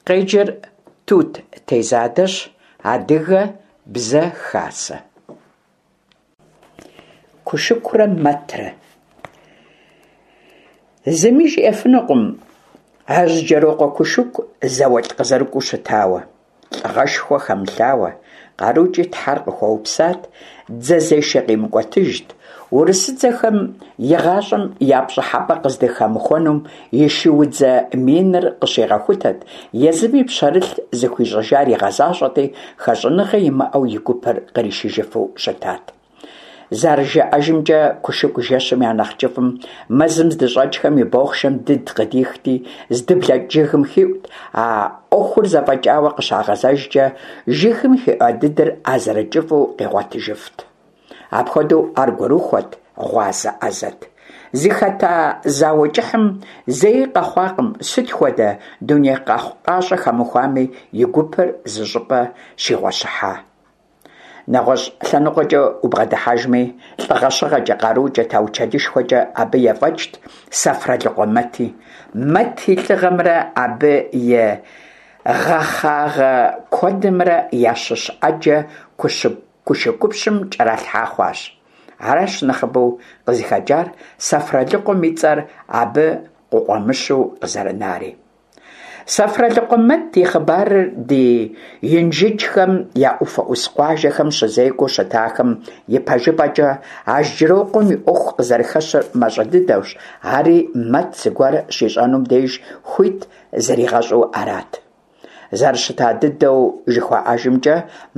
Къеджэр Тут Тезадэщ, Адыгэ бзэ хасэ. Кушыкурэ Мэтрэ. Зыми жиӏэфынукъым Ажьджэрокъуэ Кушыку зауэлӏ къызэрыкӏуэу щытауэ, лӏыгъэшхуэ хэмылъауэ, къарукӏи Тхьэр къыхуэупсат, дзэзешэ къимыкӏуэтыжт, урысыдзэхэм игъащӏэм я пщӏыхьэпӏэ къыздыхэмыхуэнум и шуудзэ миныр къыщигъэхутэт, езыми пщэрылъ зыхуищӏыжар игъэзащӏэти, хэщӏыныгъэ имыӏэу и гупыр къришыжыфу щытат. Зэрыжаӏэжымкӏэ, Кушыку жэщым я нэхъ кӏыфӏым мэзым здыщӏэкӏхэм и бохъшэм дыд къыдихти, здыблэкӏ жыгым хиӏут, а ӏуэхур зэфӏэкӏауэ къыщагъэзэжкӏэ, жыгым хиӏуа дыдыр а зэрыкӏыфӏу къигъуэтыжыфт. Апхуэдэу ар гурыхуэт, гъуазэ ӏэзэт. Зыхэта зауэ кӏыхьым зэи къэхъуакъым сыт хуэдэ дуней къэхъукъащӏэ хэмыхуами, и гупыр зыщӏыпӏэ щигъуэщыхьа. Нэгъуэщӏ лъэныкъуэкӏэ убгъэдыхьэжми, лӏыгъэщыгъэкӏэ, къарукӏэ, таучэлышхуэкӏэ абы ефӏэкӏт Сэфралыкъуэ Мэти. Мэт и лӏыгъэмрэ абы и гъэхъагъэ куэдымрэ ящыщ ӏэджэ Кушыкупщым кӏэралъхьа хъуащ. Аращ нэхъыбэу къызыхэкӏар Сэфралыкъуэм и цӏэр абы къыкъуэмыщу къызэрынари. Сэфралыкъуэ Мэт и хъыбарыр ди Инжыджхэм я ӏуфэ ӏус къуажэхэм щызекӏуэу щытахэм ипэжыпӏэкӏэ Ажьджырокъуэм и ӏуэху къызэрыхэщыр мащӏэ дыдэущ, ари Мэт зыгуэр щищӏэнум деж хуит зригъэщӏу арат. Зэрыщыта дыдэу жыхуаӏэжымкӏэ,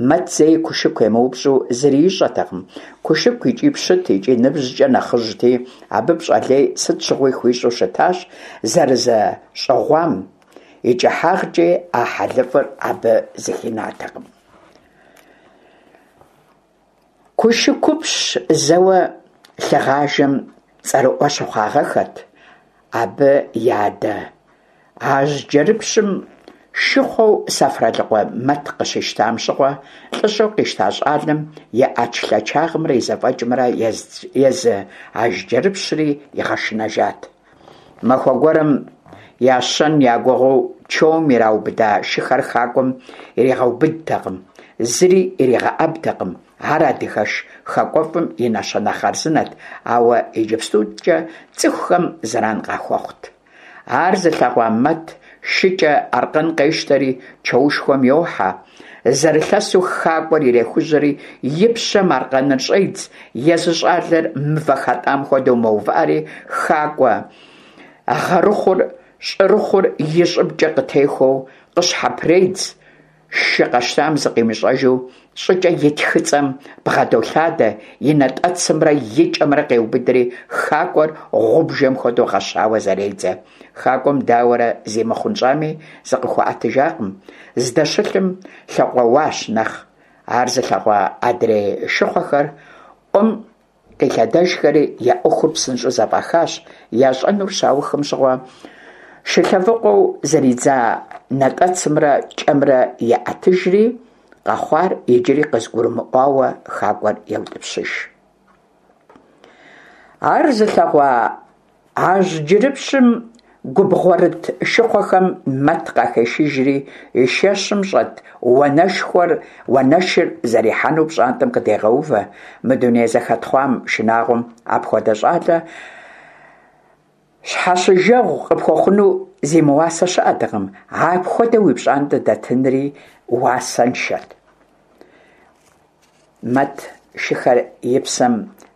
Мэт зэи Кушыку емыупщӏу зыри ищӏэтэкъым. Кушыку икӏи пщыт, икӏи ныбжькӏэ нэхъыжьти, абы пщӏэ лей сыт щыгъуи хуищӏу щытащ, зэрызэщӏыгъуам и кӏыхьагъкӏи а хьэлыфӏыр абы зыхинатэкъым. Кушыкупщ зэуэ лъыгъажэм цӏэрыӏуэ щыхъуагъэххэт абы и адэ Ажьджэрыпщым шыхъуэу Сэфралыкъуэ Мэт къыщищтам щыгъуэ, лӏыщӏэу къищта щӏалэм и ӏэчлъэчагъымрэ и зэфӏэкӏымрэ езы Ажьджэрыпщри игъэшынэжат. Махуэ гуэрым ящэн я гугъэу чоум ираубыда шыхэр хакӏуэм иригъэубыдтэкъым, зыри иригъэӏэбтэкъым, ар адыгэш хакӏуэфӏым и нэщэнэ хъарзынэт, ауэ иджыпстукӏэ цӏыхухэм зэран къахуэхъут. Ар зылъэгъуа Мэт шыкӏэ аркъэн къещтэри чоушхуэм йохьэ. Зэрылъэсу хакӏуэр ирехужьэри, и пщэм аркъэныр щӏедз, езы щӏалэр мывэ хэтӏам хуэдэу мэувыӏэри, хакӏуэ гъэрыхъур щӏырыхъур и щӏыбкӏэ къытехуэу къыщхьэпредз, Шы къэщтам зыкъимыщӏэжу щӏыкӏэ и тхыцӏэм бгъэдолъадэ, и натӏэцымрэ и кӏэмрэ къеубыдри, хакӏуэр гъубжэм хуэдэу гъэщауэ зэредзэ. Хакӏуэм дауэрэ зимыхъунщӏами, зыкъыхуэӏэтыжакъым, здэщылъым лъэкъуэуащ нэхъ. Ар зылъэгъуа адрей шыхъуэхэр ӏуэм Къилъэдэжхэри я ӏуэхур псынщӏэу зэфӏахащ, ящӏэнур щаухым щыгъуэ шылъэвыкъуэу зэридза натӏэцымрэ кӏэмрэ еӏэтыжри, къэхъуар иджыри къызыгурымыӏуауэ хакӏуэр еутӏыпщыж. Ар зылъэгъуа Ажьджырыпщым губгъуэрыт шыхъуэхэм Мэт къахешыжри, и шэщым щӏэт уанэшхуэр уанэшыр зэрихьэну пщӏантӏэм къыдегъэувэ. Мы дуней зэхэтхъуам шынагъуэм апхуэдэ щӏалэ щхьэщыжэгъу къыпхуэхъуну зимыуасэ щыӏэтэкъым, апхуэдэ уи пщӏантӏэ дэтынри уасэншэт. Мэт шыхэр и псэм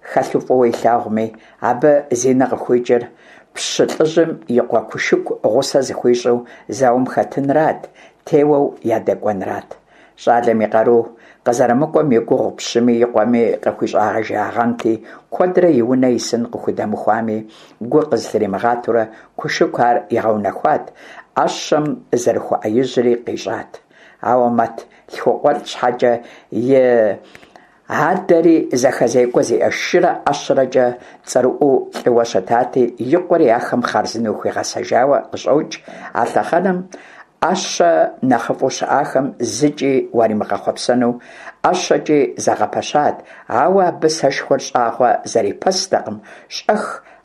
хэлъу фӏыуэ илъагъуми, абы зи нэ къыхуикӏыр пщы лӏыжьым и къуэ Кушыку гъусэ зыхуищӏу зауэм хэтынрат, теуэу ядэкӏуэнрат. Щӏалэм и къару къызэрымыкӏуэм и гугъу пщыми и къуэми къыхуищӏагъэжагъэнти, куэдрэ и унэ исын къыхудэмыхуами, гу къызылъримыгъатэурэ Кушыку ар игъэунэхуат, ӏэщэм зэрыхуэӏэижьри къищӏат. Ауэ Мэт лъхукъуэлӏ щхьэкӏэ и адэри зэхэзекӏуэ зиӏэ шырэ ӏэщэрэкӏэ цӏэрыӏуэу лӏыуэ щытати, и къуэри ахэм хъарзынэу хуигъэсэжауэ къыщӏокӏ, а лъэхъэнэм ӏэщэ нэхъыфӏу щыӏахэм зыкӏи уаримыгъэхъуэпсэну ӏэщэкӏи зэгъэпэщат, ауэ абы сэшхуэр щӏагъуэ зэрипэстэкъым, щӏэх.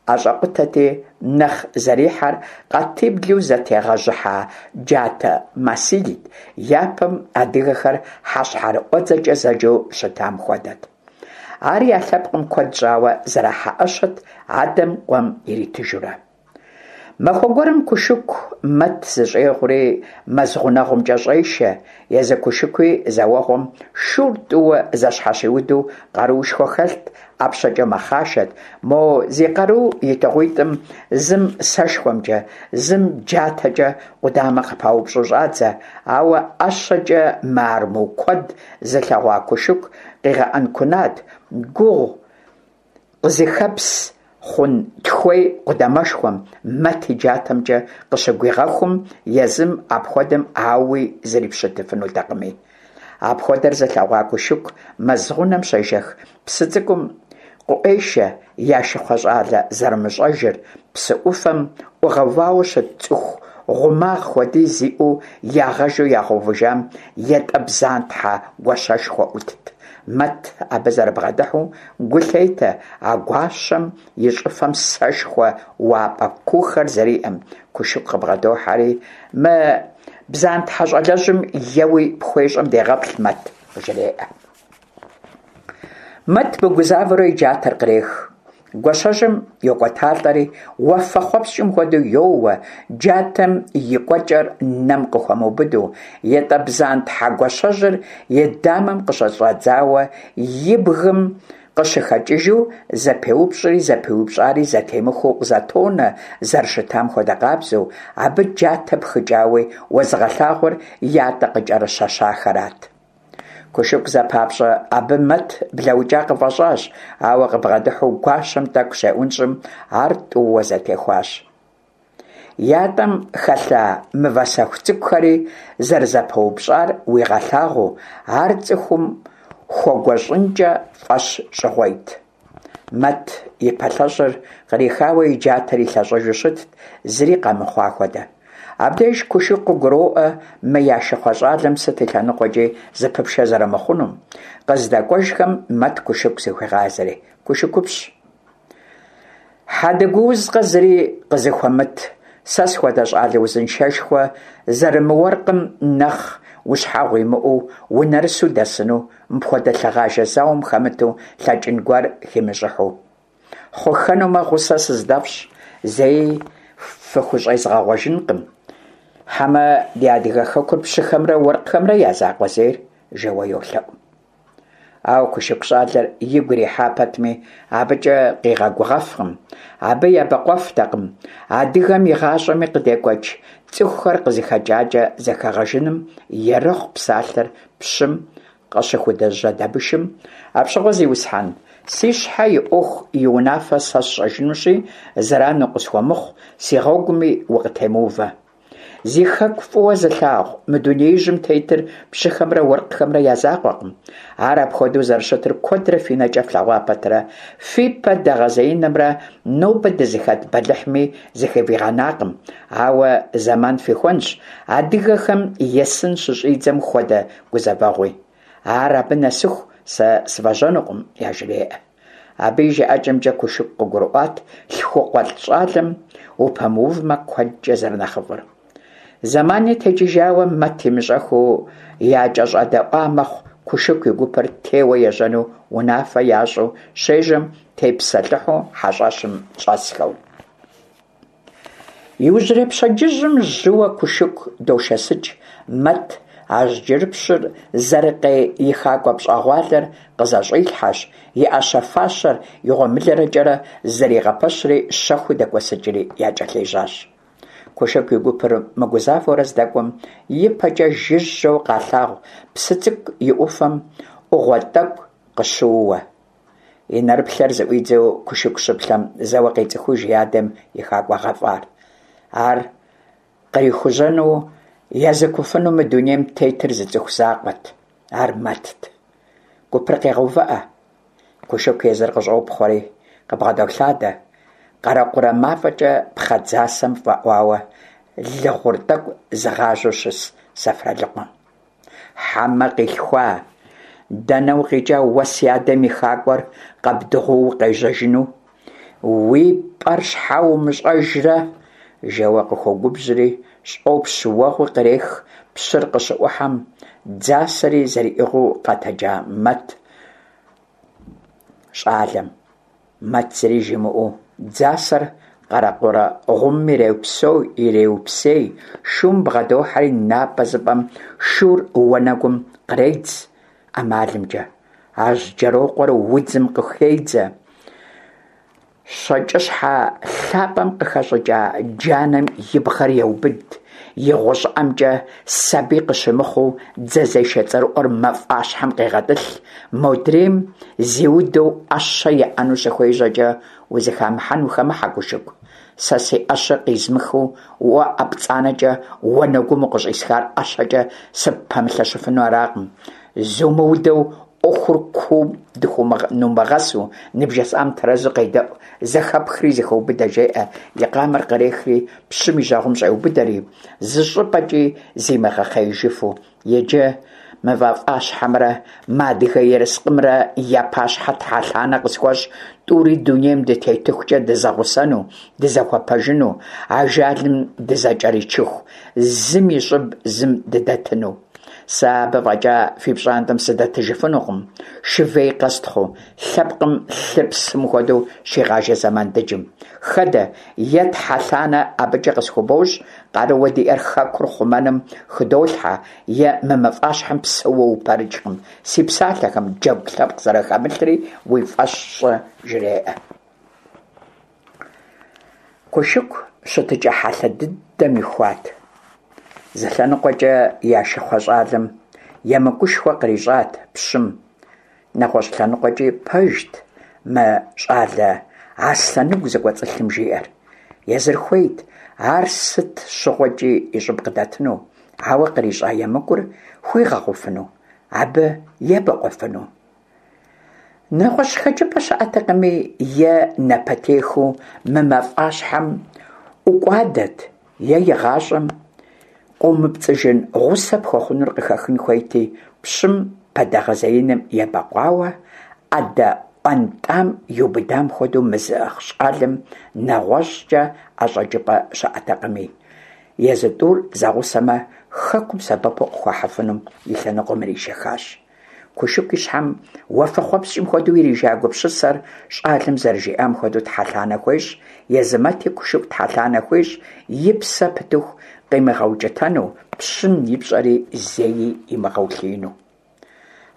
ӏэщӏэкъутэти, нэхъ зэрихьэр къатиблу зэтегъэжьыхьа джатэ масилт, япэм адыгэхэр хьэщхьэрыӏуэдзэкӏэ зэджэу щытам хуэдэт. Ар я лъэпкъым куэд щӏауэ зэрахьэ ӏэщэт, адэм къуэм иритыжурэ. Махуэ гуэрым Кушыку Мэт зыщӏегъури, мэз гъунэгъумкӏэ щӏешэ. Езы Кушыкуи зэуэгъуэм шур тӏууэ зэщхьэщиуду къаруушхуэ хэлът, ӏэпщэкӏэ мэхъашэт. Мо зи къару итыгъуитӏым зым сэшхуэмкӏэ, зым джатэкӏэ къудамэ къыпаупщӏу щӏадзэ, ауэ ӏэщэкӏэ мыарму куэд зылъэгъуа Кушыку къигъэӏэнкунат, гугъу къызыхэпс хъун тхуей къудамэшхуэм Мэт и джатэмкӏэ къыщыгуигъэхум, езым апхуэдэм ауи зрипщытыфынутэкъыми. Апхуэдэр зылъэгъуа Кушыку мэз гъунэм щежэх псы цӏыкӏум къыӏуешэ я шыхъуэ щӏалэ зэрымыщӏэжыр, псы ӏуфэм ӏугъэувауэ щыт цӏыху гъумагъ хуэдиз иӏэу ягъэжу ягъэувыжам ятӏэ бдзантхьэ гуащэшхуэ ӏутт. Мэт абы зэрыбгъэдыхьэу гу лъетэ а гуащэм и щӏыфэм сэшхуэ уапӏэ куухэр зэриӏэм. Кушыку къыбгъэдохьэри, Мы бдзантхьэ щӏалэжьым еуи пхуещӏэм дегъэплъ, Мэт, къыжреӏэ. Мэт мыгузавэурэ и джатэр кърех. Гуащэжьым йокӏуэталӏэри, уафэхъуэпскӏым хуэдэу йоуэ, джатэм и кӏуэкӏэр нэм къыхуэмыубыду, ятӏэ бдзантхьэ гуащэжьыр и дамэм къыщыщӏэдзауэ и бгым къыщыхэкӏыжу зэпеупщӏри зэпиупщӏари зэтемыхуэу къызэтонэ, зэрыщытам хуэдэ къабзэу, абы джатэ пхыкӏауи уэзыгъэлъагъур ятӏэ къыкӏэрыщэщахэрат. Кушыку зэпапщӏэ абы Мэт блэукӏа къыфӏэщӏащ, ауэ къыбгъэдыхьэу гуащэм тӏэкӏу щеӏунщӏым, ар тӏууэ зэтехуащ. Ятӏэм хэлъа мывэ сэху цӏыкӏухэри зэрызэпэупщӏар уигъэлъагъуу, ар цӏыхум хуэгуэщӏынкӏэ фӏэщ щӏыгъуейт. Мэт и пэлъэщӏыр кърихауэ и джатэр илъэщӏыжу щытт, зыри къэмыхъуа хуэдэ. Абдеж Кушыку къыгуроӏуэ мы я шыхъуэ щӏалэм сыт и лъэныкъуэкӏи зыпыпшэ зэрымыхъунум. Къыздэкӏуэжхэм Мэт Кушыку зыхуегъазэри. Кушыкупщ. Хьэдэгуузкъэ зыри къызыхуэмыт, сэ схуэдэ щӏалэ узыншэшхуэ зэрымыуэркъым нэхъ ущхьэгъу имыӏэу унэрысу дэсыну, мыпхуэдэ лъыгъажэ зауэм хэмыту лъэкӏын гуэр химыщӏыхьу. Хъуххэнумэ, гъусэ сыздэфщӏ, зэи фыхущӏезгъэгъуэжынкъым. Хьэмэ ди адыгэ хэкур пщыхэмрэ уэркъхэмрэ я закъуэ зейр? жэуэ йолъэӏу. Ауэ Кушыку щӏалэр игу ирихьа пэтми, абыкӏэ къигъэгугъэфкъым. Абы ебэкъуэфтэкъым. Адыгэм игъащӏэми къыдекӏуэкӏ цӏыхухэр къызыхэкӏакӏэ зэхэгъэжыным ерыхъу псалъэр пщым къыщыхудыжьэдэмышым, Апщыгъуэ, зиусхьэн, си щхьэ и ӏуэху и унафэ сэ сщӏэжынущи, зэран укъысхуэмыхъу, си гъуэгуми укъытемыувэ. Зи хэку фӏыуэ зылъагъу мы дунеижьым тетыр пщыхэмрэ уэркъхэмрэ я закъуэкъым. Ар апхуэдэу зэрыщытыр куэдрэ фи нэкӏэ флъэгъуа пэтрэ, фи пэ дэгъэзеинымрэ нобэ дызыхэт бэлыхьми зыхывигъэнакъым. Ауэ зэман фихуэнщ адыгэхэм есын щыщӏидзэм хуэдэ гузэвэгъуи. Ар абы нэсыху сэ сывэжьэнукъым, яжреӏэ. Абы и жыӏэкӏэмкӏэ Кушыку къыгурыӏуат лъхукъуэлӏ щӏалэм упэмыувмэ куэдкӏэ зэрынэхъыфӏыр. Зэмани текӏыжауэ Мэт имыщӏэххэу якӏэщӏэдэӏуа мэхъу Кушыку и гупыр теуэ ежьэну унафэ ящӏу щежьэм тепсэлъыхьу хьэщӏэщым щӏэсхэу. Иужьрей пщэдджыжьым жьыуэ Кушыку дошэсыкӏ, Мэт Ажьджырыпщыр зэрыкъей и хакӏуэ пщӏэгъуалэр къызэщӏилъхьэщ, и ӏэщэ-фащэр и гъуэмылэрэкӏэрэ зэригъэпэщри щэхуу дэкӏуэсыкӏри якӏэлъежьащ. Кушыку и гупыр мыгузавэурэ здэкӏуэм, ипэкӏэ жыжьэу къалъагъу псы цӏыкӏу и ӏуфэм ӏугъуэ тӏэкӏу къыщыууэ. И нэрыплъэр зыӏуидзэу Кушыку щыплъэм, зэуэ къецӏыхуж и адэм и хакӏуэ гъэфӏар. Ар кърихужьэну езыкуфыну мы дунейм тетыр зы цӏыху закъуэт, ар Мэтт. Гупыр къегъэувыӏэ. Кушыку езыр къыщӏопхъуэри, къыбгъэдолъадэ, къэрэкъурэ мафӏэкӏэ пхъэ дзасэм фӏэӏуауэ лы гъур тӏэкӏу зыгъажьэу щыс Сэфралыкъуэм. Хьэмэ къилъхуа, дэнэ укъикӏа уэ си адэм и хакӏуэр къэбдыгъуу укъежьэжыну? Уи пӀэр щхьэ умыщӀэжрэ? жэуэ къыхуогубжьри, щӀопщ уэгъуи кърех пщыр къыщыӀухьэм, дзасэри зэриӀыгъыу къэтэджа Мэт щӀалэм. Мэт зыри жимыӀэу, дзасэр къэрэкъурэ гъумым иреупсей, шум бгъэдохьэри напӀэзыпӀэм шур уанэгум къредз ӀэмалымкӀэ. Ажьджэрокъуэр удзым къыхедзэ. ЩэкӀыщхьэ лъапӀэм къыхэщӀыкӀа джанэм и бгъэр еубыд, и гъущӀыӀэмкӀэ сабий къыщымыхъуу дзэзешэ цӀэрыӀуэр мафӀащхьэм къегъэтӀылъ, модрейм зиудэу Ӏэщэ иӀэну щыхуежьэкӀэ, узыхамыхьэн ухэмыхьэ, Кушыку. Сэ си ӏэщэр къизмыхыу уэ ӏэ пцӀанэкӀэ уанэгум укъыщӀисхар ӏэщэкӀэ сыппэмылъэщыфыну аракъым. Зумыудэу ӏуэхур куум нумыгъэсу, ныбжесӀам тэрэзу къедэӀу, зэхэпхри зыхэубыдэ, жеӀэ, и къамэр кърехри пщым и жьэгъум щӀеубыдэри, зыщӀыпӀэкӀи зимыгъэхъеижыфу. Иджы мы мафӀащхьэмрэ мы адыгэ ерыскъымрэ я пащхьэ тхьэлъанэ къысхуэщӀ, тӀури дунейм дытетыхукӀэ дызэгъусэну, дызэхуэпэжыну, ажалым дызэкӀэричыху, зым и щӀыб зым дыдэтыну. Сэ абы фӀэкӀа фи пщӀантӀэм сыдэтыжыфынукъым, шывей къэстхъуу, лъэпкъым лъыр псым хуэдэу щигъажэ зэман дыджым. Хэдэ, е тхьэлъанэ абыкӀэ къысхубощӀ, къарууэ диӀэр хэкур хъумэным хыдолъхьэ, е мы мафӀащхьэм псэууэ упэрыкӀкъым, си псалъэхэм джэгу лъэпкъ зэрыхэмылъри уи фӀэщ щӀы, жреӀэ. Кушыку щытыкӀэ хьэлъэ дыдэм ихуат. Зы лъэныкъуэкӀэ я шыхъуэ щӀалэм емыкӀушхуэ кърищӀат пщым, нэгъуэщӀ лъэныкъуэкӀи пэжт мы щӀалэ аслъэныгу зыкӀуэцӀылъым жиӀэр. Езыр хуейт ар сыт щыгъуэкӀи и щӀыб къыдэтыну, ауэ кърищӀа емыкӀур хуигъэгъуфыну, абы ебэкъуэфыну? НэгъуэщӀ хэкӀыпӀэ щыӀэтэкъыми, е напэтехыу мы мафӀащхьэм ӀукӀуадэт, е игъащӀэм къомыпцӀыжын гъусэ пхуэхъунур къыхэхын хуейти, пщым пэдэгъэзеиным ебэкъуауэ, Ӏэдэ ӀуэнтӀам иубыдам хуэдэу мы зыӀыгъ щӀалэм нэгъуэщӀкӀэ ӀэщӀэкӀыпӀэ щыӀэтэкъыми, езы тӀур зэгъусэмэ, хэкум сэбэпу къыхуахьыфынум и лъэныкъуэм иришэхащ. Кушыку и щхьэм уафэхъуэпскӀым хуэдэу ирижа гупсысэр щӀалэм зэрыжиӀам хуэдэу тхьэлъанэ хуещӀ, езы Мэти Кушыку тхьэлъанэ хуещӀ, и псэ пытыху къимыгъэукӀытэну, пщым и пщӀэри зэи имыгъэулъиину.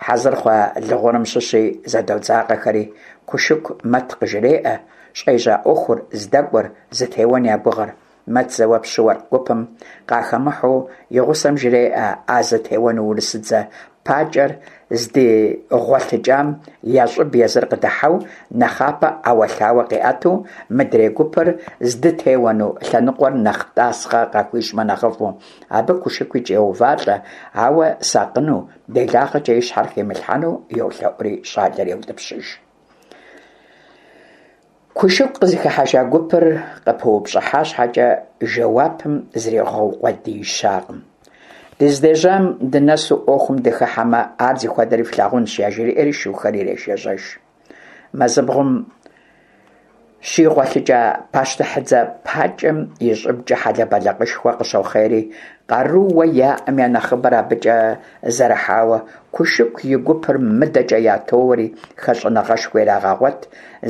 Хьэзыр хъуа лы гъурым щыщи зэдодзакъэхэри, Кушыку Мэт къыжреӀэ щӀежьа Ӏуэхур, здэкӀуэр, зытеуэн я гугъэр. Мэт зэуэ пщы-уэркъ гупым къахэмыхьэу и гъусэм жреӏэ а зытеуэну урысыдзэ пакӀэр здигъуэлъыкӀам я щӀыб езыр къыдыхьэу, нэхъапэ ӏэуэлъауэ къиӀэту, мыдрей гупыр здытеуэну лъэныкъуэр нэхъ тӀасхъэ къахуищӀмэ нэхъыфӀу. Абы КушыкуикӀ йоувалӀэ, ауэ сакъыну, делагъэкӀэ и щхьэр химылъхьэну йолъэӀури щӀалэр еутӀыпщыж. Кушыку къызыхыхьэжа гупыр къыпыупщӀыхьа щхьэкӀэ, жэуапым зригъэукъуэдиищакъым. Дыздежьам дынэсу Ӏуэхум дыхыхьэмэ, ар зыхуэдэри флъагъунщ, яжриӀэри шухэр ирешэжьэж. Мэзыбгъум щигъуэлъыкӀа пащтыхьыдзэ пакӀэм и щӀыбкӀэ хьэлэбэлыкъышхуэ къыщохъейри, къарууэ яӀэм я нэхъыбэр абыкӀэ зэрыхьауэ, Кушыку и гупыр мыдэкӀэ ятоуэри, хэщӀыныгъэшхуэ ирагъэгъуэт,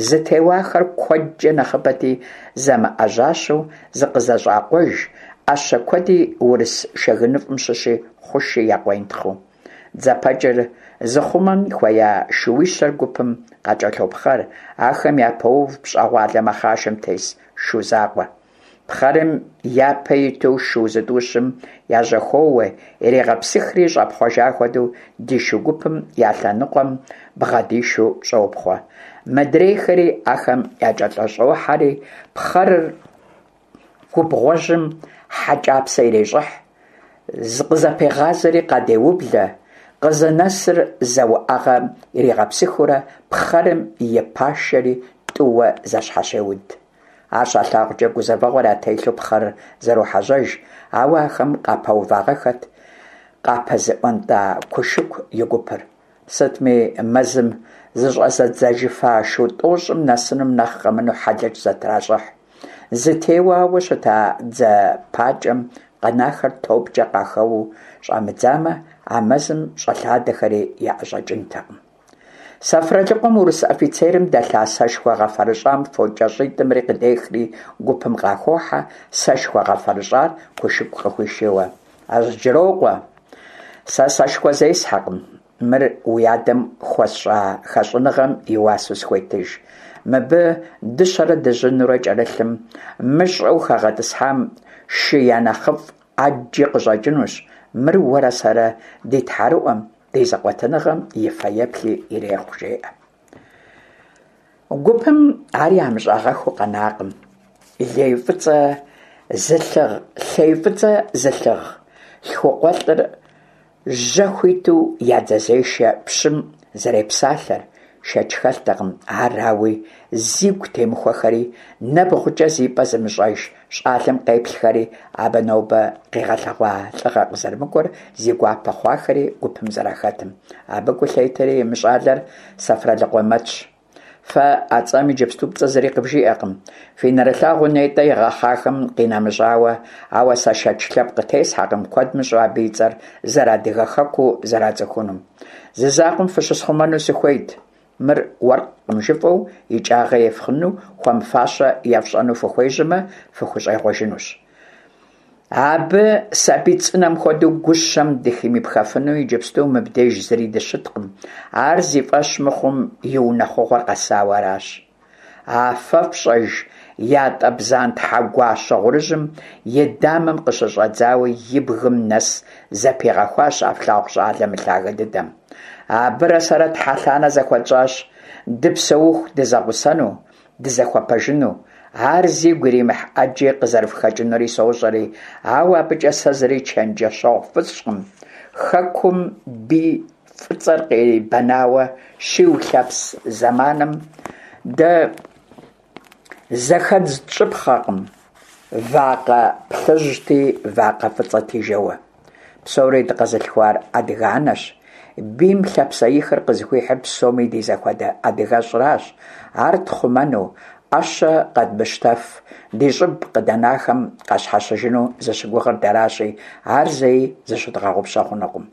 зытеуахэр куэдкӀэ нэхъыбэти, замыӀэжьащэу зыкъызэщӀакъуэж, Ӏэщэ куэди урыс шэгыныфӀым щыщи хъуши якъуентхъыу. ДзэпэкӀыр зыхъумэн хуея шууищэр гупым къакӀэлъопхъэр, ахэм япоув пщӀэгъуалэ мэхъашэм тес шу закъуэ. Пхъэрым япэ иту шу зытӀущым яжьэхоуэ, ирегъэпсыхри щӀэпхъуэжа хуэдэу ди шу гупым я лъэныкъуэм бгъэдишу щӀопхъуэ. Мыдрейхэри ахэм якӀэлъыщӀохьэри, пхъэрыр губгъуэжьым хьэкӀапсэ ирещӀыхь, зыкъызэпегъазэри къадеублэ, къызынэсыр зэ уӏэгъэ иригъэпсыхыурэ пхъэрым и пашэри тӀууэ зэщхьэщеуд. Ар щалъагъукӀэ гузэвэгъуэр ятелъу пхъэрыр зэрохьэжьэж, ауэ ахэм къапэувагъэххэт къапэзыӀуэнтӀа Кушыку и гупыр. Сытми, мэзым зыщӏэзыдзэжыфа шу тӏощӏым нэсынум нэхъ къэмынэу хьэлэч зэтращӏыхь. Зытеуауэ щыта дзэ пакӏэм къэнахэр топкӏэ къахэуэу щӏамыдзамэ, а мэзым щӏэлъадэхэри яӏэщӏэкӏынтэкъым. Сэфралыкъуэм урыс офицерым дэлъа сэшхуэ гъэфэрыщӏам фокӏэщӏитӏымри къыдехри гупым къахохьэ, сэшхуэ гъэфэрыщӏар Кушыку къыхуишийуэ. Ажьджырокъуэ, сэ сэшхуэ зесхьэкъым, мыр уи адэм хуэсщӏа хэщӏыныгъэм и уасэу схуетыж. Мыбы дыщэрэ дыжьынурэ кӏэрылъым, мыщӏэу хэгъэтӏысхьам шы я нэхъыфӏ ӏэджи къыщӏэкӏынущ, мыр уэрэ сэрэ ди тхьэрыӏуэм, ди зэкъуэтыныгъэм и фэеплъи ирехъу, жеӏэ. Гупым ар ямыщӏагъэххэу къэнакъым. Лей фӏыцӏэ зылъыгъ, лъей фӏыцӏэ зылъыгъ лъхукъуэлӏыр жьэ хуиту я дзэзешэ пщым зэрепсалъэр, шэч хэлътэкъым ар ауи зигу темыхуэхэри, нэбгъукӏэ зи пӏэ зымыщӏэж щӏалэм къеплъхэри, абы нобэ къигъэлъэгъуа лӏыгъэ къызэрымыкӏуэр зи гуапэ хъуахэри гупым зэрахэтым. Абы гу лъетэри мы щӏалэр Сэфралыкъуэ Мэтщ. Фэ а цӏэм иджыпсту пцӏы зыри къывжиӏэкъым. Фи нэрылъагъуу нетӏэ игъэхъахэм къинэмыщӏауэ, ауэ сэ шэч лъэпкъ къытесхьэкъым куэд мыщӏэу абы и цӏэр зэрыадыгэ хэкуу зэрацӏыхунум. Зы закъуэм фыщысхъумэну сыхуейт. Мыр уэркъым жыфӏэу икӏагъэ ефхыну, хуэмыфащэ ефщӏэну фыхуежьэмэ, фыхущӏегъуэжынущ. Абы сабий цӏынэм хуэдэу гущэм дыхимыпхэфыну иджыпсту мыбдеж зыри дыщыткъым. Ар зи фӏэщ мыхъум и унэхъугъуэр къэсауэ аращ. А фэ фщӏэж ятӏэ бзантхьэ гуащэ гъурыжьым и дамэм къыщыщӏэдзауэ и бгым нэс зэпигъэхуащ а флъагъу щӏалэ мылъагэ дыдэм. Абырэ сэрэ тхьэлъанэ зэхуэтщӏащ дыпсэуху дызэгъусэну, дызэхуэпэжыну. Ар зигу иримыхь ӏэджи къызэрыфхэкӏынури сощӏэри, ауэ абыкӏэ сэ зыри чэнджэщэгъу фысщӏкъым. Хэкум бий фӏыцӏэр къибэнауэ щиулъэпс зэманым дэ зэхэдз тщӏыпхъэкъым вакъэ плъыжьти, вакъэ фӏыцӏэти жэуэ. Псори дыкъэзылъхуар адыгэ анэщ. Бийм лъапсэихыр къызыхуихьыр псоми ди зэхуэдэ адыгэщӏращ. Ар тхъумэну, ӏэщэ къэдмыщтэф, ди щӏыб къыдэнахэм къащхьэщыжыну зыщыгугъыр дэращи, ар зэи зыщыдгъэгъупщэ хъунукъым.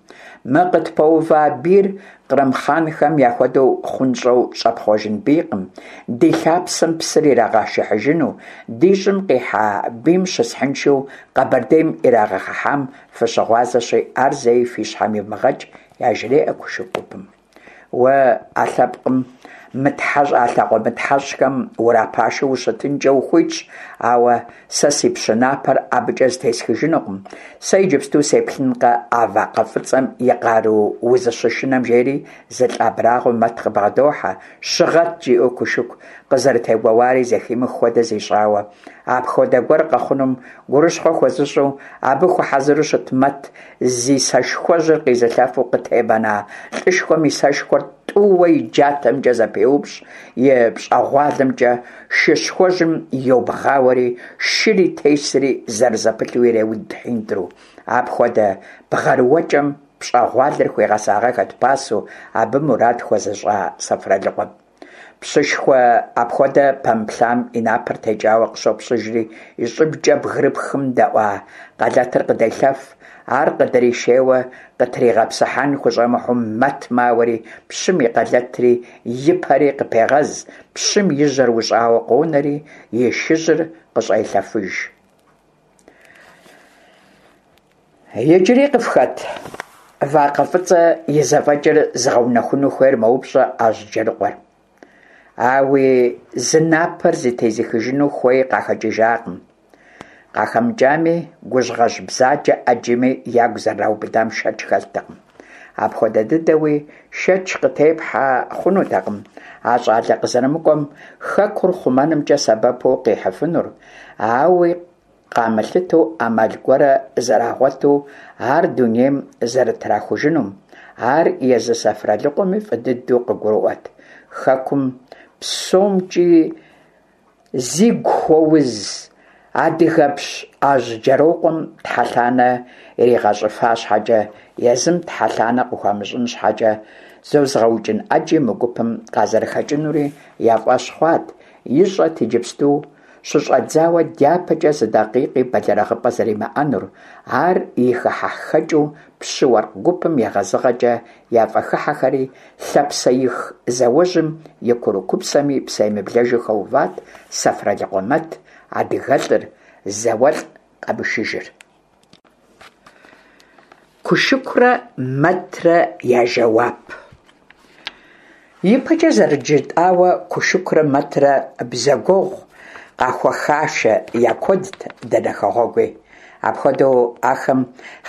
Мы къытпэува бийр кърым хъанхэм яхуэдэу хъунщӏэу щӏэпхъуэжын бийкъым, ди лъапсэм псыр ирагъэшыхьыжыну, ди щӏым къихьа бийм щысхьыншэу Къэбэрдейм ирагъэхыхьам фыщыгъуазэщи, ар зэи фи щхьэм ивмыгъэкӏ, яжреӏэ Кушыку гупым. Уэ а лъэпкъым мытхьэщӏ, а лъакъуэ мытхьэщӏхэм урапашэу ущытынкӏэ ухуитщ, ауэ сэ си пщы напэр абыкӏэ зытесхыжынукъым. Сэ иджыпсту сеплъынкъэ а вакъэ фӏыцӏэм и къару узыщышынэм, жери зы лӏы абрагъуэ Мэт къыбгъэдохьэ, щыгъэт, жиӏэу Кушыку къызэрытегуэуари зэхимых хуэдэ зищӏауэ. Апхуэдэ гуэр къэхъунум гурыщхъуэ хуэзыщӏу, абы хуэхьэзыру щыт Мэт зи сэшхуэжьыр къизылъэфу къытебэна лӏышхуэм и сэшхуэр тӏууэ и джатэмкӏэ зэпеупщӏ, и пщӏэгъуалэмкӏэ шыщхуэжьым йобгъауэри, шыри тесри зэрызэпылъу иреуд хьинтӏру. Апхуэдэ бгъэрыуэкӏэм пщӏэгъуалэр хуигъэсагъэххэт пасэу абы мурад хуэзыщӏа Сэфралыкъуэм. Пщышхуэ апхуэдэ пэмыплъам и напэр текӏауэ къыщопщыжри, и щӏыбкӏэ бгырыпхым дэӏуа къалэтыр къыделъэф. Ар къыдришейуэ къытригъэпсыхьэн хущӏэмыхьу Мэт мауэри, пщым и къалэтри и пэри къыпегъэз, пщым и жьэр ущӏауэ къонэри, и шыжьыр къыщӏелъэфыж. Иджыри къыфхэт вакъэ фӏыцӏэ и зэфӏэкӏыр зыгъэунэхуну хуейр мэупщӏэ Ажьджэрыкъуэр. Ауи зы напэр зытезыхыжыну хуей къахэкӏыжакъым. Къахэмыкӏами, гужьгъэжь бзаджэ ӏэджэми ягу зэрыраубыдам шэч хэлътэкъым. Апхуэдэ дыдэуи шэч къытепхьэ хъунутэкъым а щӏалэ къызэрымыкӏуэм хэкур хъумэнымкӏэ сэбэпу къихьыфынур, ауи къамылъытэу ӏэмал гуэрэ зэрагъуэту ар дунейм зэрытрахужынум, ар езы Сэфралыкъуэми фӏы дыдэу къыгурыӏуэт. Хэкум псомкӏи зигу хуэуз адыгэпщ Ажьджэрокъуэм тхьэлъанэ иригъэщӏыфа щхьэкӏэ, езым тхьэлъанэ къыхуамыщӏын щхьэкӏэ. зозыгъэукӏын ӏэджи мы гупым къазэрыхэкӏынури я фӏэщ хъуат, ищӏэт иджыпсту щыщӏэдзауэ дяпэкӏэ зы дакъикъи бэлэрыгъыпӏэ зэримыӏэнур, ар и хыхьэхэкӏыу пщы-уэркъ гупым егъэзыгъэкӏэ яфӏыхыхьэхэри, лъапсэих зауэжьым и курыкупсэми псэемыблэжу хэуват Сэфралыкъуэ Мэт, адыгэлӏыр, зауэлӏ къэмышыжыр. Кушыкурэ Мэтрэ я жэуап. Ипэкӏэ зэрыжытӏауэ, Кушыкурэ Мэтрэ бзэгуэгъу къахуэхашэ я куэдт дэнэ хэгъуэгуи. Апхуэдэу ахэм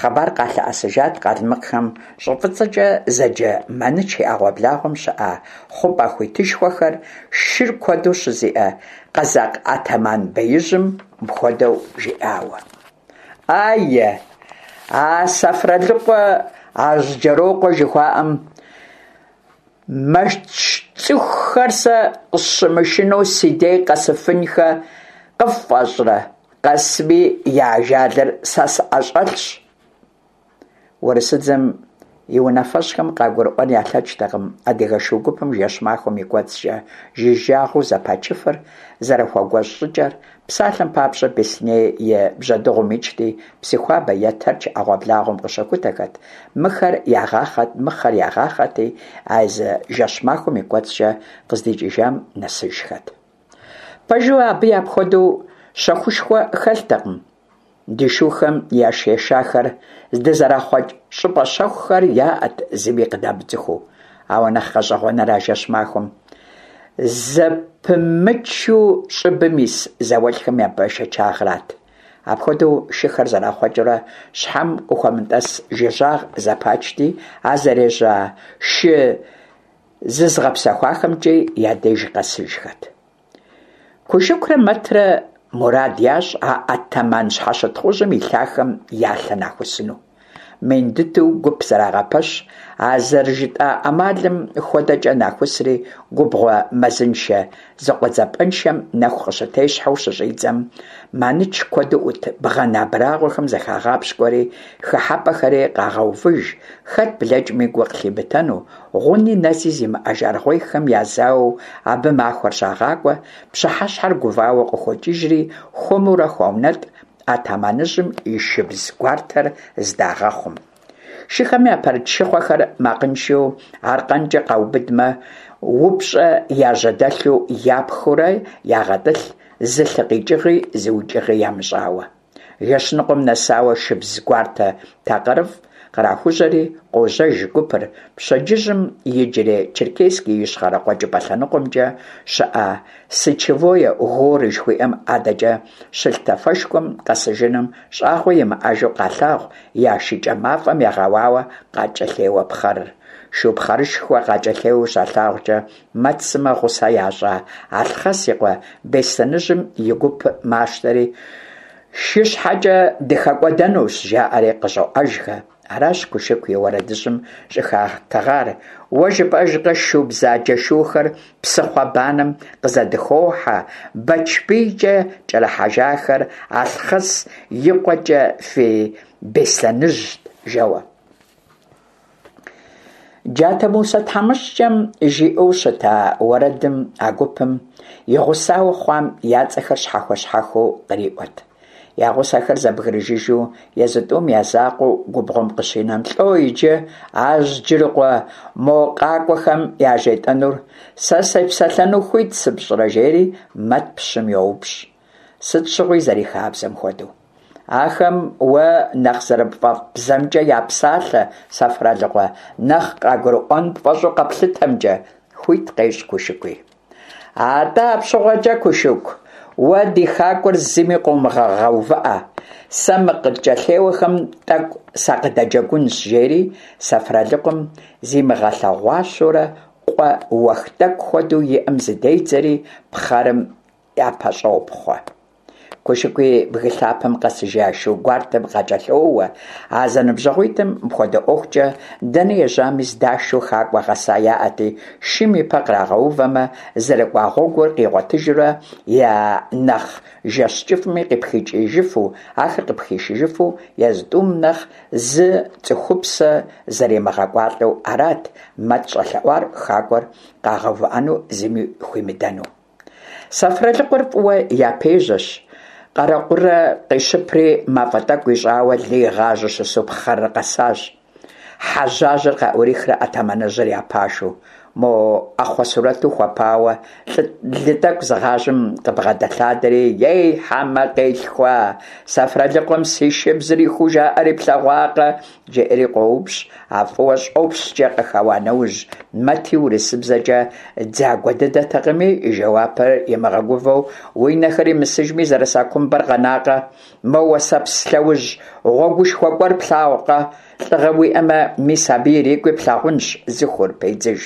хъыбар къалъэӏэсыжат къалмыкъхэм щӏы фӏыцӏэкӏэ зэджэ Маныч и ӏэгъуэблагъуэм щыӏэ хъупӏэ хуитышхуэхэр шыр куэду щызиӏэ къэзакъ атаман беижьым мыпхуэдэу жиӏауэ. Ае, а Сэфралыкъуэ Ажьджэрокъуэ жыхуаӏэм мэч цӏыхухэр сэ къысщымышынэу си дей къэсыфынхэ къыффӏэщӏрэ? Къэсми, я ажалыр сэ сӏэщӏэлъщ. Урысыдзэм и унафэщӏхэм къагурыӏуэн ялъэкӏтэкъым адыгэ шу гупым жэщ-махуэм и кӏуэцӏкӏэ жыжьагъыу зэпачыфыр зэрыхуэгуэщӏ щӏыкӏэр, псалъэм папщӏэ, Беслъэней и Бжьэдыгъум икӏти, Псыхуабэ е Тэрч ӏэгъуэблагъуэм къыщыхутэхэт, мыхэр ягъахъэт, мыхъэр ягъахъэти, а зы жэщ-махуэм и кӏуэцӏкӏэ къыздикӏыжам нэсыжхэт. Пэжу, абы апхуэдэу щэхушхуэ хэлътэкъым. Ди шухэм яш ешахэр здызэрахъуэкӏ щӏыпӏэ щэхухэр яӏэт зыми къыдамыцӏыхуу. Ауэ нэхъ гъэщӏэгъуэныр а жэщ-махуэм зэпымычу щӏыбым ис зауэлӏхэм я бэшэчагърат. Апхуэдэу шыхэр зэрахъуэкӏыурэ щхьэм къыхуэмытӏэс жыжьагъ зэпачти, а зэрежьа шы зызыгъэпсэхуахэмкӏи я деж къэсыжхэт. Кушыкурэ Мэтрэ мурад ящӏ а атаман щхьэщытхъужьым и лъахэм я лъэ нахусыну. Мин дыдэу гуп зэрагъэпэщ, а зэрыжытӏа ӏэмалым хуэдэкӏэ нахусри, губгъуэ мэзыншэ зыкъуэдзапӏэншэм нэху къыщытещхьэу щыщӏидзэм, Маныч куэду ӏут бгъэн абрагъуэхэм зыхагъапщкӏуэри, хыхьэпӏэхэри къагъэувыж, хэт блэкӏми гу къылъимытэну, Гъуни нэзи зимыӏэж аргъуейхэм язауэу абы махуэр щагъакӏуэ, пщыхьэщхьэр гувауэ къыхокӏыжри, хуэмурэ хуаунэтӏ атаманыжьым и шыбз гуартэр здагъэхъум. Шыхэм япэрыт шыхъуэхэр макъыншэу аркъэнкӏэ къаубыдмэ, упщӏэ яжьэдэлъу япхыурэ ягъэтӏылъ, зы лъы къикӏыгъи зы укӏыгъи ямыщӏауэ. Жэщ ныкъуэм нэсауэ шыбз гуартэ такъырыфӏ кърахужьэри, къожьэж гупыр, пщэдджыжьым иджырей Черкесск и ищхъэрэ-къуэкӏыпӏэ лъэныкъуэмкӏэ щыӏэ Сычевое горы жыхуиӏэм адэкӏэ щылъ тафэшхуэм къэсыжыным щӏагъуэ имыӏэжу къалъагъу я шыкӏэ мафӏэм егъэуауэ къакӏэлъеуэ пхъэрыр. Шу пхъэрышхуэ къакӏэлъеуэу щалъагъукӏэ, Мэт сымэ гъусэ ящӏа Алъхъэс и къуэ Беслъэныжьым и гуп мащтэри, шы щхьэкӏэ дыхэкӏуэдэнущ, жаӏэри къыщӏоӏэжхэ. Аращ Кушыку и уэрэдыжьым щӏыхатыгъар. Уэ жыпӏэжкъэ, шу бзаджэ шухэр псыхъуэ банэм къызэдыхохьэ, Бэчбийкӏэ кӏэрыхьэжахэр Алъхъэс и къуэкӏэ фи Беслъэныжьт, жэуэ. Джатэ Мусэ тхьэмыщкӏэм жиӏэу щыта уэрэдым а гупым и гъусауэ хъуам я цӏэхэр щхьэхуэ-щхьэхуэу къриӏуэт. Я гъусэхэр зэбгрыжыжу езы тӏум я закъуэу губгъуэм къыщинэм, лӏо иджы Ажьджырыкъуэ мо къакӏуэхэм яжетӏэнур, сэ сепсэлъэну хуит сыпщӏрэ, жери Мэт пщым йоупщӏ. Сыт щыгъуи зэрихабзэм хуэдэу. Ахэм уэ нэхъ зэрыпфӏэфӏ бзэмкӏэ япсалъэ, Сэфралыкъуэ, нэхъ къагурыӏуэн пфӏэщӏу къэплъытэмкӏэ, хуит къещӏ Кушыкуи. Атӏэ апщыгъуэкӏэ, Кушыку, уэ ди хакӏуэр зыми къомыгъэгъэувыӏэ, сэ мы къыткӏэлъеуэхэм тӏэкӏу сакъыдэджэгунщ, жери Сэфралыкъуэм зимыгъэлъэгъуащэурэ къуэ уэх тӏэкӏу хуэдэу иӏэм зыдедзэри пхъэрым япэщӏопхъуэ. Кушыкуи бгы лъапэм къэсыжа шу гуартэм къакӏэлъоуэ. А зэныбжьэгъуитӏым мыпхуэдэ ӏуэхукӏэ дэнэ ежьами здашу хакӏуэ гъэса яӏэти, шым и пэ кърагъэувэмэ, зэрыкӏуа гъуэгур къигъуэтыжурэ я нэхъ жэщ кӏыфӏми къыпхикӏыжыфу, ахэр къыпхишыжыфу езы тӏум нэхъ зы цӏыхупсэ зэримыгъэкӏуалӏэу арат Мэт щӏэлъэӏуар хакӏуэр къагъэувыӏэну зыми хуимыдэну. Сэфралыкъуэр фӏыуэ япежьэщ, къэрэкъурэ къищыпри мафӏэ тӏэкӏу ищӏауэ лы игъажьэу щысу пхъэрыр къэсащ. Хьэжьажьэр къаӏурихрэ атаманыжьыр я пашэу, мо ӏэхъуэ сурэту хуэпауэ лы тӏэкӏу зыгъажьэм къыбгъэдэлъадэри, Ей, хьэмэ къилъхуа, Сэфралыкъуэм си шыбзыр ихуу жаӏэри плъэгъуакъэ? жеӏэри къоупщӏ, а фӏыуэ щӏопщкӏэ къыхэуа нэужь, Мэти урысыбзэкӏэ дзагуэ дыдэтэкъыми, и жэуапыр имыгъэгувэу, уи нэхэр имысыжми зэрыса кумбэр къэнакъэ, мо уэсэпс лъэужь гъуэгушхуэ кӏуэр плъагъукъэ, лӏыгъэ уиӏэмэ, мис абы ирикӏуи плъагъунщ зыхур, педзыж.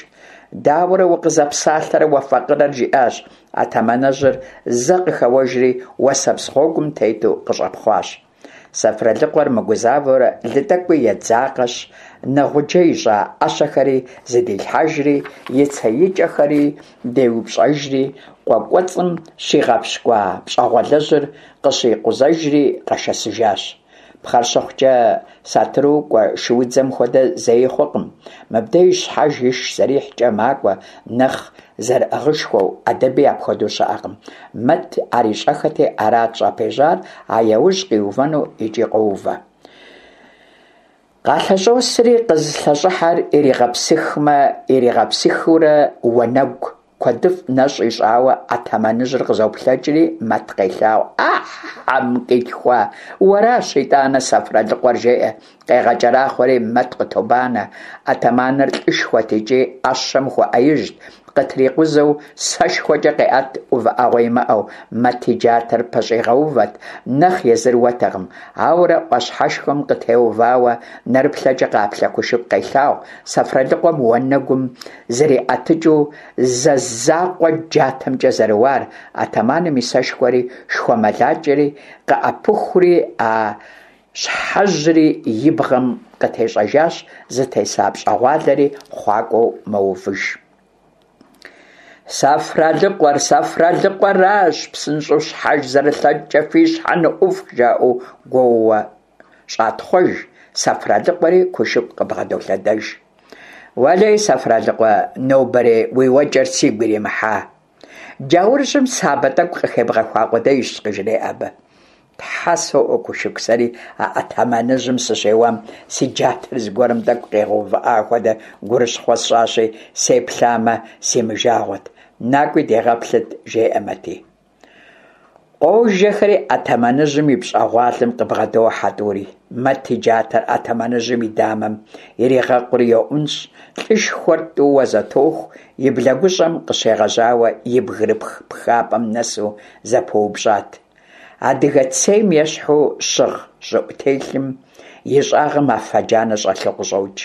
Дауэрэ укъызэпсалъэрэ уэ факъырэр, жиӏащ атаманыжьыр, зэ къыхэуэжри уэсэпс гъуэгум тету къыщӏэпхъуащ. Сэфралыкъуэр мыгузавэурэ лы тӏэкӏуи едзакъэщ, нэгъуджэ ищӏа ӏэщэхэри зыдилъхьэжри, и цеикӏэхэри деупщӏэжри, къуэ кӏуэцӏым щигъэпщкӏуа пщӏэгъуалэжьыр къыщӏикъузэжри къэшэсыжащ. Пхъэр щыхъукӏэ, сатыру кӏуэ шуудзэм хуэдэ зэи хъукъым. Мыбдеж щхьэж иш зэрихькӏэ макӏуэ, нэхъ зэрыӏыгъышхуэу, ӏэдэби апхуэдэу щыӏэкъым. Мэт ар ищӏэххэти, арат щӏапежьар, а яужь къиувэну икӏи къоувэ. Къалъэщӏосри, къызылъэщӏыхьэр иригъэпсыхмэ, иригъэпсыхыурэ уанэгу куэдыфӏ нэщӏ ищӏауэ атаманыжьыр къызоплъэкӏри, Мэт къелъагъу. А, хьэм къилъхуа, уэращ итӏанэ Сэфралыкъуэр, жеӏэ. Къегъэкӏэрахъуэри Мэт къытобанэ. Атаманыр лӏышхуэт икӏи ӏэщэм хуэӏэижьт, къытрикъузэу сэшхуэкӏэ къеӏэт увыӏэгъуэ имыӏэу, Мэт и джатэр пэщӏигъэувэт, нэхъ езыр уэтэкъым. Ауэрэ ӏуащхьэшхуэм къытеувауэ нэрыплъэкӏэ къаплъэ Кушыку къелъагъу Сэфралыкъуэм уанэгум зриӏэтыкӏыу зэ закъуэ джатэмкӏэ зэрыуар, атаманым и сэшхуэри шхуэмылакӏэри къыӏэпыхури а щхьэжьри и бгъэм къытещӏэжащ, зытеса пщӏэгъуалэри хъуакӏуэу мэувыж. Сэфралыкъуэр, Сэфралыкъуэращ, псынщӏэу щхьэж зэрылъэкӏкӏэ фи щхьэ ныӏуфх, жаӏэу гуоууэ щӏатхъуэж, Сэфралыкъуэри Кушыку къыбгъэдолъэдэж. Уэлей, Сэфралыкъуэ, нобэрей уи уэкӏэр сигу иримыхьа. Джаурыжьым сабэ тӏэкӏу къыхебгъэхуа къудейщ, къыжреӏэ абы. Тхьэ соӏуэ, Кушыку, сэри а атаманыжьым сыщеуам си джатэр зыгуэрым тӏэкӏу къигъэувыӏа хуэдэ гурыщхъуэ сщӏащи, сеплъамэ, си мыжагъуэт. Накӏуи дегъэплъыт, жеӏэ Мэти. Къожэхэри атаманыжьым и пщӏэгъуалэм къыбгъэдохьэ тӏури. Мэт и джатэр атаманыжьым и дамэм ирегъэкъури йоӏунщӏ, лӏышхуэр тӏууэ зэтоху, и блэгущӏэм къыщегъэжьауэ и бгырыпх пхапӏэм нэсу зэпыупщӏат. Адыгэ цейм ещхьу щыгъ щӏыӏутелъым и щӏагъым афэ джанэ щӏэлъу къыщӏокӏ.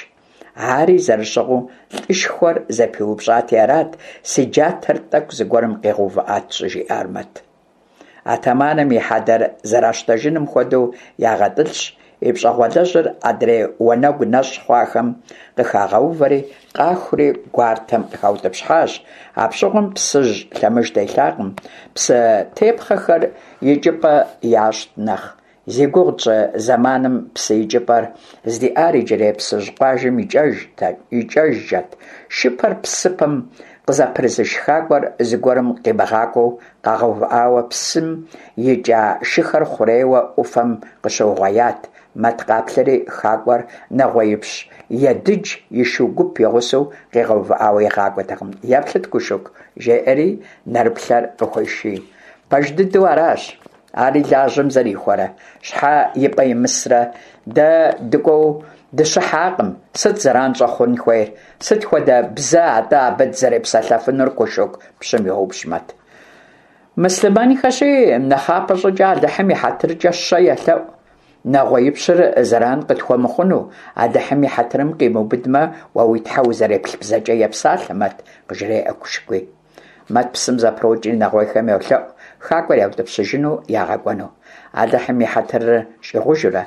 Ари зэрыщыгъыу лӏышхуэр зэпиупщӏати арат, си джатэр тӏэкӏу зыгуэрым къигъэувыӏат щӏыжиӏар Мэт. Атаманым и хьэдэр зэращтэжыным хуэдэу ягъэтӏылъщ, и пщӏэгъуалэжьыр адрей уанэгу нэщӏ хъуахэм къыхагъэувэри, къахури гуартэм къыхаутӏыпщхьащ. Апщыгъуэм Псыжь лъэмыж телъакъым, псы тепхъэхэр икӏыпӏэ ящӏт нэхъ. Зи гугъу тщӏы зэманым псы икӏыпӏэр здиӏар иджырей Псыжь къуажэм икӏэжкӏэт, шыпэр псыпэм къызэпрызыш хакӏуэр зыгуэрым къимыгъакӏуэу къагъэувыӏауэ псым икӏа шыхэр хъурейуэ ӏуфэм къыщыугъуеят. Мэт къаплъэри хакӏуэр нэгъуеипщ Едыдж и шу гуп и гъусэу къигъэувыӏауэ игъакӏуэтэкъым. Еплъыт, Кушыку, жеӏэри нэрыплъэр къыхуеший. Пэж дыдэу аращ. Ари лажьэм зэрихуэрэ, щхьэ и пӏэ имысрэ? Дэ дыкӏуэу дыщыхьакъым, сыт зэран щӏэхъун хуейр? Сыт хуэдэ бзэ атӏэ абы дызэрепсэлъэфынур, Кушыку? пщым йоупщӏ Мэт. Мыслъымэнхэщи, нэхъапэ щӏыкӏэ Алыхьым и хьэтыркӏэ щэ елъэӏу. Нэгъуеипщыр зэран къытхуэмыхъуну, Алыхьым и хьэтырым къимыубыдмэ, уэ уи тхьэ узэреплъ бзэкӏэ епсалъэ, Мэт, къыжреӏэ Кушыкуи. Мэт псым зэпрокӏри нэгъуейхэм йолъэӏу. хакӏуэр яутӏыпщыжыну ягъэкӏуэну. Алыхьым и хьэтырыр щӏигъужурэ,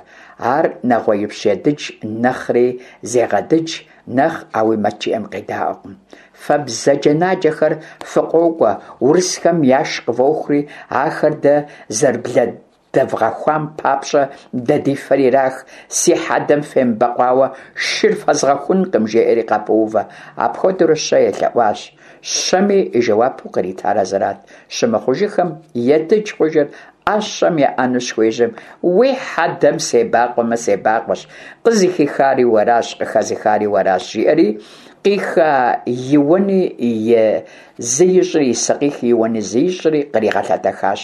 ар нэгъуеипщ Едыдж нэхъри зегъэдыдж, нэхъ ауи Мэт жиӏэм къедаӏуэкъым. Фэ бзаджэнаджэхэр фыкъокӏуэ, урысхэм яш къывохури, ахэр дэ зэрыблэдвгъэхуам папщӏэ дэ ди фэр ирах, си хьэдэм фемыбэкъуауэ шыр фэзгъэхункъым, жеӏэри къапоувэ. Апхуэдэурэ щэ елъэӏуащ. Щэми и жэуапу къритар а зырат. Щымыхъужыхэм Едыдж хъужыр ӏэщэм еӏэну щыхуежьэм, уи хьэдэм себакъуэмэ, себакъуэщ, къызыхихари уэращ, къыхэзыхари уэращ, жиӏэри, къиха и уэни и зы ищӏри, и сыкъих и уэни зы ищӏри къригъэлъэтэхащ.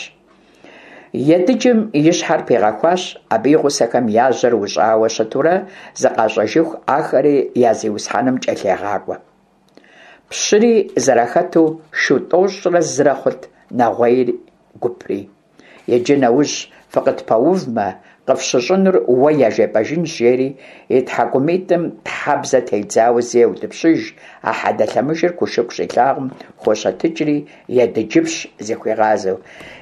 Едыджым и щхьэр пигъэхуащ, абы и гъусэхэм я жьэр ущӏауэ щытурэ зыкъащӏэжыху ахэри я зиусхьэным кӏэлъегъакӏуэ. Пщыри зэрахэту шу тӏощӏрэ зырэ хъут нэгъуейр гупри. Иджы нэужь фыкъытпэувмэ, къыфщыщӏынур уэ яжепӏэжынщ, жери и тхьэкӏумитӏым тхьэбзэ тедзауэ зы еутӏыпщыж, а хьэдэ лъэмыжыр Кушыку щилъагъум хощэтыкӏри, Едыджыпщ зыхуигъазэу,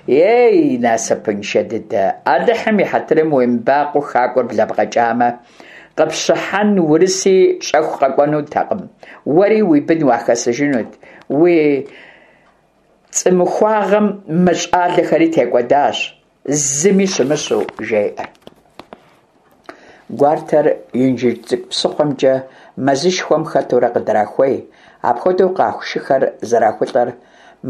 Ей, насыпыншэ дыдэ, Алыхьым и хьэтырым уемыбакъуэу хакӏуэр блэбгъэкӏамэ, къыпщыхьэн урыси щӏэху къэкӏуэнутэкъым, уэри уи бын уахэсыжынут, уи цӏымыхуагъэм мы щӏалэхэри текӏуэдащ, зыми щымыщу, жеӏэ. Гуартэр Инжыдж Цӏыкӏу псыхъуэмкӏэ мэзышхуэм хэтурэ къыдрахуей. Апхуэдэу къаху шыхэр зэрахулӏэр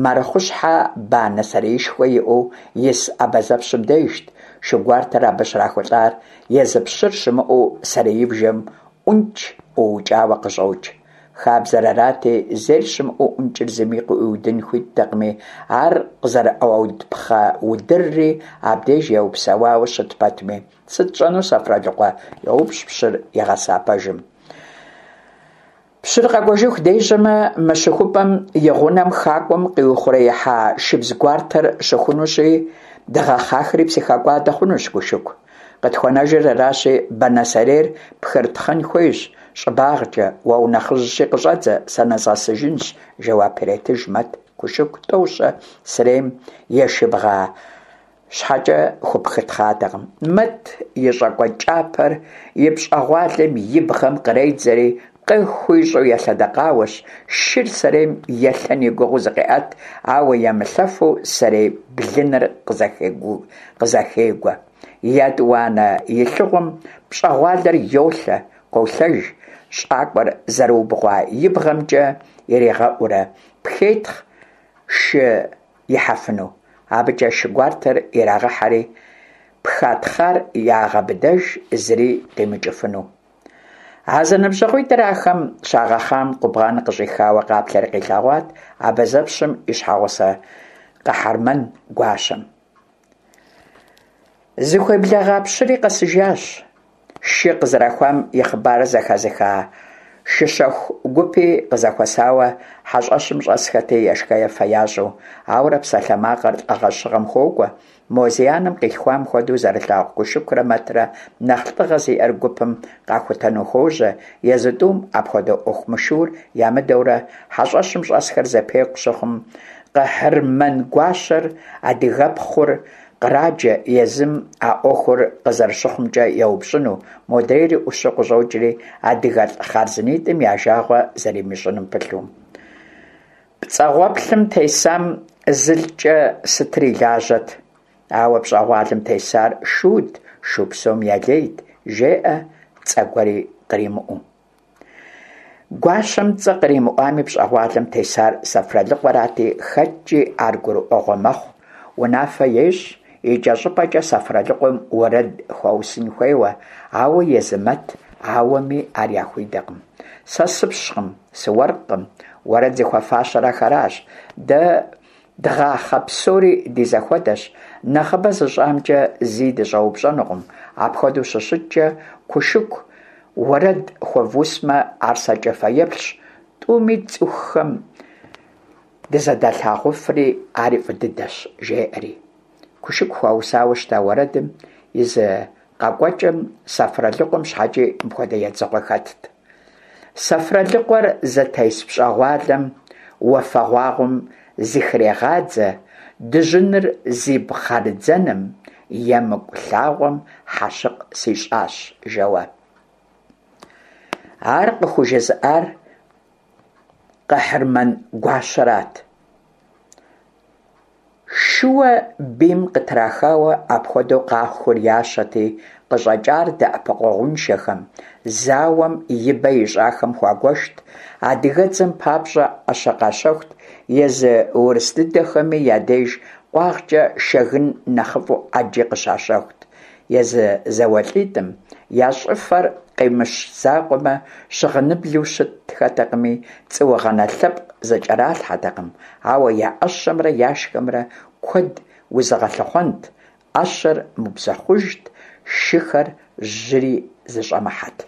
Марыхъущхьэ банэ сэреишхуэ иӏэу ис абазэпщым дежт. Шы гуартэр абы щрахулӏар езы пщыр щымыӏэу сэреибжэм ӏункӏ ӏуукӏауэ къыщӏокӏ. Хабзэр арати, зейр щымыӏэу ӏункӏыр зыми къыӏуиудын хуиттэкъыми, ар къызэрыӏуауд пхъэ удырри абдеж еупсэуауэ щыт пэтми, сыт тщӏэну, Сэфралыкъуэ? йоупщӏ пщыр игъэса пэжым. Пщыр къэкӏуэжыху дежьэмэ, мы щыхупӏэм и гъунэм хакӏуэм къиухъуреихьа шыбз гуартэр щыхунущи, дгъэхъахэри псыхэкӏуадэ хъунущ, Кушыку. Къытхуэнэжыр аращи, банэ сэрейр пхырытхъын хуейщ щӏыбагъкӏэ, уэ унэхъыжьщи къыщӏэдзэ, сэ нэзгъэсыжынщ, жэуап иретыж Мэт Кушыку тӏэу-щэ сэрейм ешыбгъа щхьэкӏэ хупхытхъатэкъым. Мэт и щӏакӏуэ кӏапэр и пщӏэгъуалэм и бгъэм къредзэри, къыхуищӏу елъэдэкъауэщ, шыр сэрейм елъэн и гугъэу зыкъеӏэт, ауэ емылъэфу сэрей блыныр къызэхегуэ. Етӏуанэ илъыгъуэм пщӏэгъуалэр йолъэ, къолъэж, щӏакӏуэр зэрыубгъуа и бгъэмкӏэ иригъэӏурэ, пхетхъ шы ихьэфыну. Абыкӏэ шы гуартэр ирагъэхьэри, пхатхъар ягъэбыдэж, зыри къимыкӏыфыну. А зэныбжьэгъуитӏыр ахэм щагъэхъам къубгъан къыщӏихауэ къаплъэри къилъэгъуат абазэпщым и щхьэгъусэ Къэхьэрмэн гуащэм. Зыхуеблэгъа пщыри къэсыжащ. Шы къызэрахуам и хъыбарыр зэхэзыха шыщэху гупи къызэхуэсауэ хьэщӏэщым щӏэсхэти, ешхэ-ефэ ящӏу, ауэрэ псалъэмакъыр лӏыгъэ-щыгъэм хуокӏуэ, мо зи анэм къилъхуам хуэдэу зэрылъагъу Кушыкурэ Мэтрэ нэхъ лӏыгъэ зиӏэр гупым къахутэну хуожьэ, езы тӏум апхуэдэ ӏуэху мышыур ямыдэурэ хьэщӏэщым щӏэсхэр зэпекъу щыхъум, Къэхьырмэн гуащэр, адыгэпхъур, къраджэ езым а ӏуэхур къызэрыщыхъумкӏэ еупщӏыну, модрейри ӏущу къыщӏокӏри, адыгэлӏ хъарзынитӏым я жагъуэ зэримыщӏыным пылъу. Пцӏэгъуэплъым тесам зылӏкӏэ сытыр и лажьэт, ауэ пщӏэгъуалэм тесар шут, шу псом ялейт, жеӏэ цӏэ гуэри къримыӏуэу. Гуащэм цӏэ къримыӏуами, пщӏэгъуалэм тесар Сэфралыкъуэрати, хэткӏи ар гурыӏуэгъуэ мэхъу, унафэ ещӏ, икӏэщӏыпӏэкӏэ Сэфралыкъуэм уэрэд хуаусын хуейуэ, ауэ езы Мэт ауэми ар яхуидэкъым. Сэ сыпщкъым, сыуэркъым, уэрэд зыхуэфащэр ахэращ, дэ Дгъахъэ псори ди зэхуэдэщ, нэхъыбэ зыщӏамкӏэ зи дыщӏэупщӏэнукъым, апхуэдэу щыщыткӏэ, Кушыку уэрэд хуэвусмэ, ар сэркӏэ фэеплъщ, тӏуми цӏыхухэм дызэдалъагъуфри, ари фӏы дыдэщ, жеӏэри. Кушыку хуаусауэ щыта уэрэдым и зы къэкӏуэкӏэм Сэфралыкъуэм щхьэкӏи мыпхуэдэ едзыгъуэ хэтт. Сэфралыкъуэр зытес пщӏэгъуалэм уафэгъуагъуэм зыхрегъадзэ, Дыжьыныр зи пхъэрыдзэным, Емыкӏу лъагъуэм хьэщыкъ сищӏащ, жэуэ. Ар къыхужызыӏар Къэхьырмэн гуащэрат. Шыуэ бийм къытрахауэ апхуэдэу къахур ящэти, къыщӀэкӀар дэӀэпыкъуэгъуншэхэм, зауэм ибэ ищӀахэм хуагуэшт, адыгэдзэм папщӀэ Ӏэщэ къащэхут, езы урыс дыдэхэми я деж къуагъкӀэ шэгын нэхъыфӀу Ӏэджи къыщащэхут. Езы зауэлӀитӀым я щӀыфэр къимыщ закъуэмэ, щыгъыныблу щытхэтэкъыми, цӀуугъэнэ лъэпкъ зыкӀэралъхьэтэкъым, ауэ я Ӏэщэмрэ яшхэмрэ куэд узыгъэлъыхъуэнт, Ӏэщэр мыубзэхъужт, шыхэр жьыри зыщӀэмыхьэт.